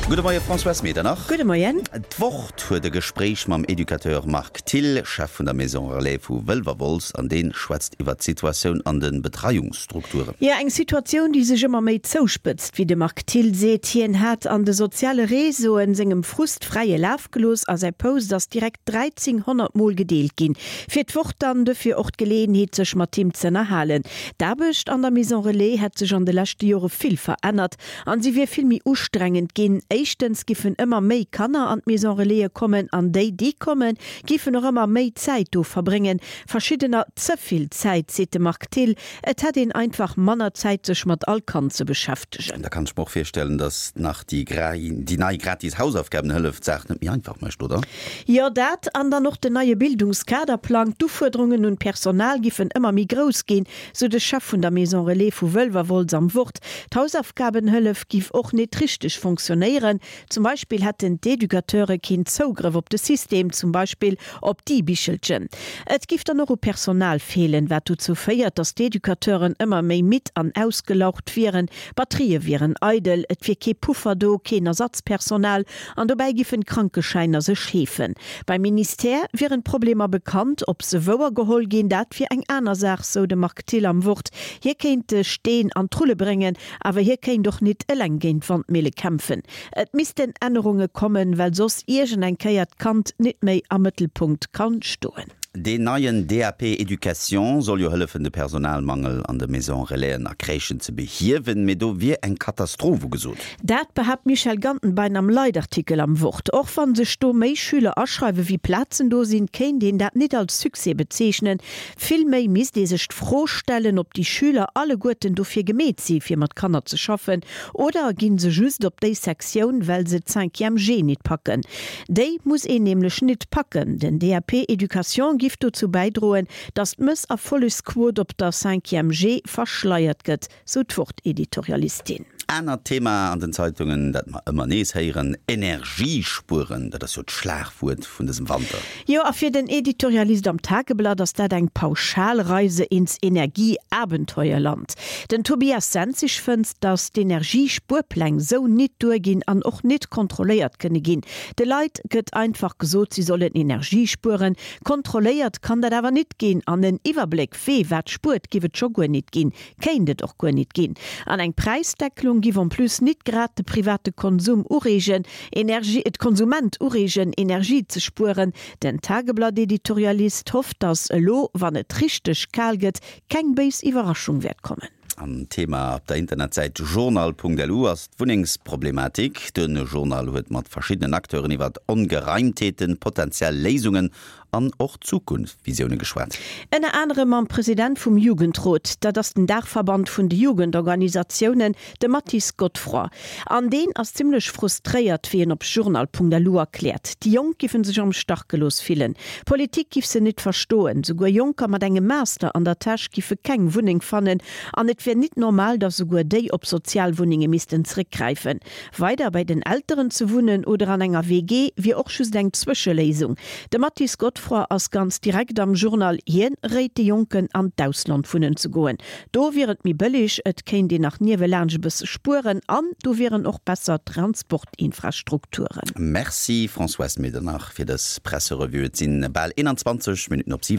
Gudde Moie Françoise Medernach. Gudde Moien. D'Wort huet e Gespréich mam Educateur Marc Thill, Chef vun der Maison Relais vu Wëlwerwolz, an dee schwätzt iwwer d'Situatioun an de Betreiungsstrukturen. Jo, eng Situatioun, déi sech ëmmer méi zouspëtzt, wéi de Marc Thill seet. Hien hat an de soziale Réseauen sengem Frust fräie Laf gelooss a säi Post ass direkt 1.300 Mol gedeelt ginn. Fir d'Wort dann dofir och d'Geleeënheet, sech mat him z'ënnerhalen. D'Aarbecht an der Maison Relais hätt sech an de leschte Jore vill verännert. An si wier vill méi ustrengend ginn. Éischtens giffen ëmmer méi Kanner an d'Maison Relaisen kommen an déi, déi kommen, giffen och ëmmer méi Zäit do verbréngen. Verschiddener ze vill Zäit, seet de Marc Thill. Et hätt een einfach manner Zäit, sech mat all Kand ze beschäftegen. Da kann ech mer och virstellen, datt nach déi nei gratis Hausaufgabenhëllef d'Saach net méi einfach mécht, oder? Jo, dat an dann och den neie Bildungskaderplang. D'Ufuerderungen un d'Personal giffen ëmmer méi grouss ginn, sou de Chef vun der Maison Relais vu Wëlwerwolz am Wort. D'Hausaufgabenhëllef giff och nit richteg fonctionnéieren. Zum Beispill hätten d'Educateure keen Zougrëff op de System, zum Beispill op d'E-Bichelchen. Et giff dann och u Personal feelen, wat dozou féiert, datt d'Educateuren ëmmer méi midd an ausgelaucht wieren. D'Batterië wieren eidel, et wier kee Puffer do, keen Ersatzpersonal an dobäi giffen d'Krankeschäiner sech heefen. Beim Ministère wieren d'Problemer bekannt, ob se wouer geholl ginn, dat wier eng aner Saach, sou de Marc Thill am Wort. Hie kéint de Steen an d'Rulle bréngen, awer hie kéint och nit eleng géint d'Wandmille kämpfen. Et missten Ännerunge kommen, well soss iergend eng Kéier d'Kand nit méi am Mëttelpunkt kann stoen. Deen neien DAP Education soll jo hëllefen, de Personalmangel an de Maison Relaisen a Crèchen ze behiewen, mee do wier eng Katastroph ugesot. Dat behaapt d'Michèle Gantenbein am Leitartikel am Wort. Och wa sech do méi Schüler aschreiwe wéi Plazen do sinn, kéint een dat nit als Succès bezeechnen. Vill méi misst ee sech d'Fro stellen, ob déi Schüler alleguerten dofir gemeet si fir mat Kanner ze schaffen, oder ginn se just op déi Sektioun, well se d'Cinquième G nit packen. Déi muss een nämlech nit packen. Den DAP Education giff dozou bäidroen, datt d'Mësserfollegsquot op der Cinquième G verschleiert gëtt. Sou d'Wort-Editorialistin. Anert Thema an den Zeitungen, dat mer ëmmer nees héieren, Energiespueren. Dat ass jo d'Schlagwuert vun dësem Wanter. Jo, a fir den Editorialist am Tageblatt ass dat eng Pauschalreise ins Energieabenteuerland. Den Tobias Senzig fënnt, datt d'Energiespuerpläng sou nit duerginn an och nit kontrolléiert kënne ginn. De Leit gëtt einfach gesot, si sollen Energie spueren. Kontrolléiert kann dat awer nit ginn an en Iwwerbléck, wee wat spuert, giff et scho guer nit ginn. Kéint et och guer nit ginn. An eng Präisdecklung giff en plus nit grad de private Konsum ureegen, Energie, d'Konsument ureegen, Energie ze spueren. Den Tageblatt-Editorialist hofft, datt elo, wann et richteg kal gëtt, keng béis Iwwerraschung wäert kommen. An Thema op der Internetsäit journal.lu ass d'Wunnengsproblematik. De Journal huet mat verschiddenen Acteuren iwwer Ongereimtheeten, potentiell Léisungen an och Zukunftsvisioune geschwat. Ënner anerem mam President vum Jugendrot, dat ass den Daachverband vun de Jugendorganisatiounen, de Mathis Godefroid. An deen ass zimmlech frustréiert, wéi en op journal.lu erkläert. Déi Jonk giffe sech am Stach gelooss fillen. D'Politik giff se nit verstoen. Souguer Jonker mat engem Master an der Täsch giffe keng Wunneng fannen an et wier nit normal, datt souguer déi op Sozialwunnenge missten zréckgräifen. Weider bei den Elteren ze wunnen oder an enger WG wier och just eng Zwëscheléisung. De Mathis Godefroid ass ganz direkt am Journal, hien réit de Jonken an d'Ausland wunnen ze goen. Do wier et méi bëlleg, et kéint een nach niewelaanscht e bësse spueren an do wieren och besser Transportinfrastrukturen. Merci Françoise Medernach fir dës Presserevue. Et sinn bal 21 Minutten op 7.